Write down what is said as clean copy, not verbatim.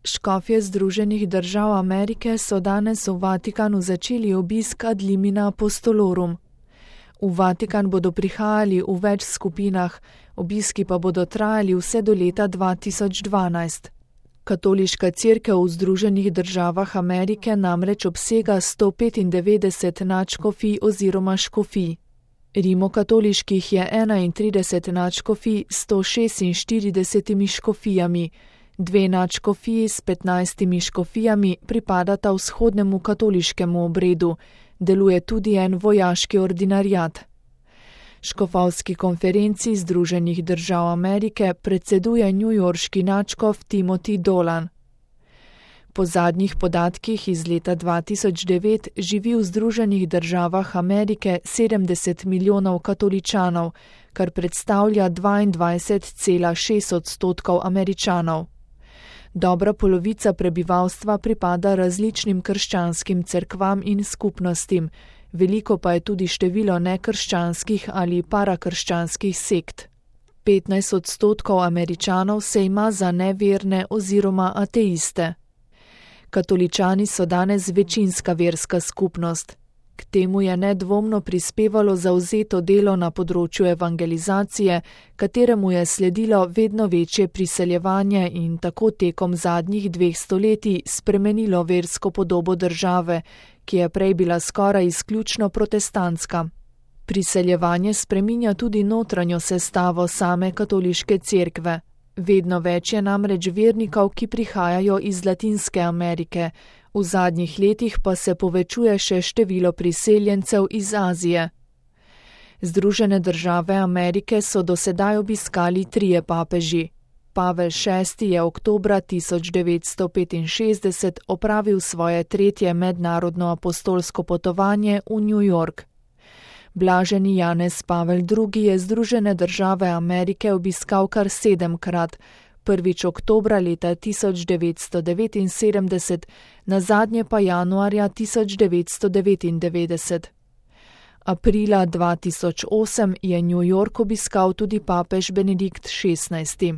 Škofje Združenih držav Amerike so danes v Vatikanu začeli obisk ad limina apostolorum. V Vatikan bodo prihajali v več skupinah, obiski pa bodo trajali vse do leta 2012. Katoliška cerkev v Združenih državah Amerike namreč obsega 195 nadškofij oziroma škofij. Rimokatoliških je 31 nadškofij s 146 škofijami, 2 nadškofiji s 15 škofijami pripadata vzhodnemu katoliškemu obredu, deluje tudi en vojaški ordinariat. Škofovski konferenci Združenih držav Amerike predseduje newyorški nadškof Timothy Dolan. Po zadnjih podatkih iz leta 2009 živi v Združenih državah Amerike 70 milijonov katoličanov, kar predstavlja 22,6% Američanov. Dobra polovica prebivalstva pripada različnim krščanskim cerkvam in skupnostim, veliko pa je tudi število nekrščanskih ali parakrščanskih sekt. 15% Američanov se ima za neverne oziroma ateiste. Katoličani so danes večinska verska skupnost. K temu je nedvomno prispevalo zavzeto delo na področju evangelizacije, kateremu je sledilo vedno večje priseljevanje in tako tekom zadnjih 2 stoletij spremenilo versko podobo države, ki je prej bila skoraj izključno protestantska. Priseljevanje spreminja tudi notranjo sestavo same katoliške cerkve. Vedno več je namreč vernikov, ki prihajajo iz Latinske Amerike, v zadnjih letih pa se povečuje še število priseljencev iz Azije. Združene države Amerike so do sedaj obiskali 3 papeži. Pavel VI je oktobra 1965 opravil svoje 3. mednarodno apostolsko potovanje v New York. Blaženi Janez Pavel II je Združene države Amerike obiskal kar 7-krat, prvič oktobra leta 1979, nazadnje pa januarja 1999. Aprila 2008 je New York obiskal tudi papež Benedikt XVI.